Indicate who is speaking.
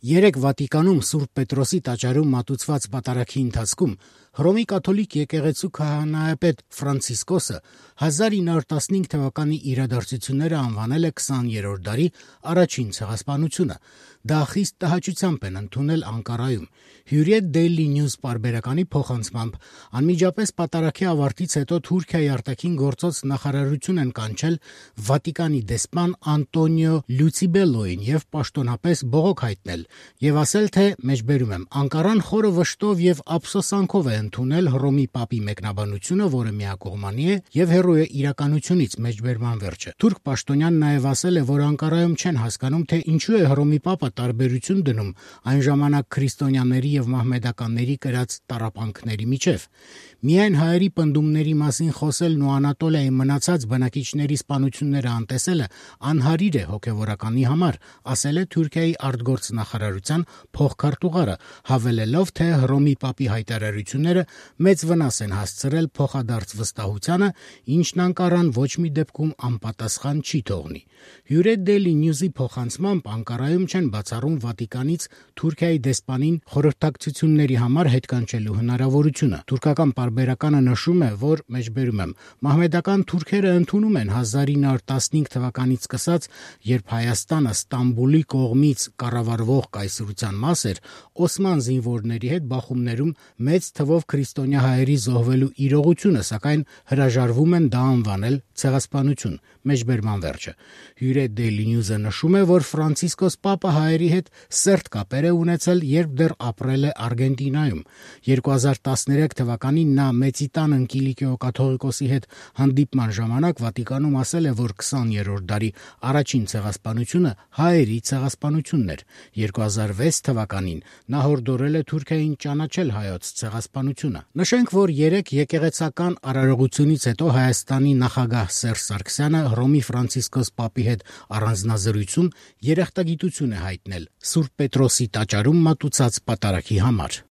Speaker 1: Երեկ Վատիկանում Սուրբ Պետրոսի տաճարում մատուցված պատարագի ընթացքում Հռոմի կաթոլիկ եկեղեցու քահանայապետ Ֆրանցիսկոսը 1915 թվականի իրադարձությունները անվանել է 20-րդ դարի առաջին ցեղասպանությունը։ Դա խիստ տհաճությամբ են ընդունել Անկարայում։ Hürriyet Daily News պարբերականի փոխանցմամբ անմիջապես պատարագի ավարտից հետո Թուրքիայի արտաքին գործոց նախարարություն են կանչել Վատիկանի դեսպան Անտոնիո Լուցիբելոին եւ պաշտոնապես բողոք հայտնել եւ ասել, թե մեջբերում եմ Անկարան խորը վշտով եւ ափսոսանքով է ընդունել Հռոմի Պապի մեկնաբանությունը, որը միակողմանի է եւ հեռու է իրականությունից մեջբերման վերջը։ Թուրք պաշտոնյան նաեւ ասել է, որ Անկարայում չեն հասկանում, թե ինչու է Հռոմի Պապը տարբերություն դնում այն ժամանակ քրիստոնյաների եւ մահմեդականների կրած տառապանքների միջև։ Միայն հայերի պնդումների մասին խոսելն ու Անատոլիայի մնացած բնակիչների սպանությունները անտեսելը անհարիր է հոգեվորականի համար, ասել է Թուրքիայի արտգործ նախարարության փոխքարտուղարը, հավելելով, թե Հռոմի Պապի հայտարարությունները մեծ վնաս են հասցրել փոխադարձ վստահությանը, ինչն Անկարան ոչ մի դեպքում անպատասխան չի թողնի։ Hürriyet Daily News-ի փոխանցմամբ Անկարայում չեն բացառում Վատիկանից Թուրքիայի դեսպանին խորհրդակցությունների համար հետ կանչելու հնարավորությունը։ Թուրքական պարբերականը նշում է, որ մեջբերում եմ մահմեդական թուրքերը ընդունում են 1915 թվականից սկսած, երբ Հայաստանը Ստամբուլի կողմից կառավարվող կայսրության մաս էր, Օսման զինվորների հետ բախումներում մեծ թվով քրիստոնյա հայերի զոհվելու իրողությունը, սակայն հրաժարվում են դա անվանել ցեղասպանություն։ Մեջբերման վերջը։ Hürriyet Daily News-ը նշում է, որ Ֆրանցիսկոս Պապը հայերի հետ սերտ կապեր է ունեցել, երբ դեռ ապրել է Արգենտինայում։ 2013 թվականին նա Մեծիտան Ընկիլիկիո կաթողիկոսի հետ հանդիպման ժամանակ Վատիկանում ասել է, որ 20-րդ դարի առաջին ցեղասպանությունը հայերի ցեղասպանությունն էր։ 2006 թվականին նա հորդորել է Թուրքիային ճանաչել հայոց ցեղասպանությունը։ Նշենք, որ երեք եկեղեցական արարողությունից հետո Հայաստանի նախագահ Սերժ Սարգսյանը Հռոմի Ֆրանցիսկոս Պապի հետ առանձնազրույցում երախտագիտություն է հայտնել Սուրբ Պետրոսի տաճարում մատուցած պատարագի համար։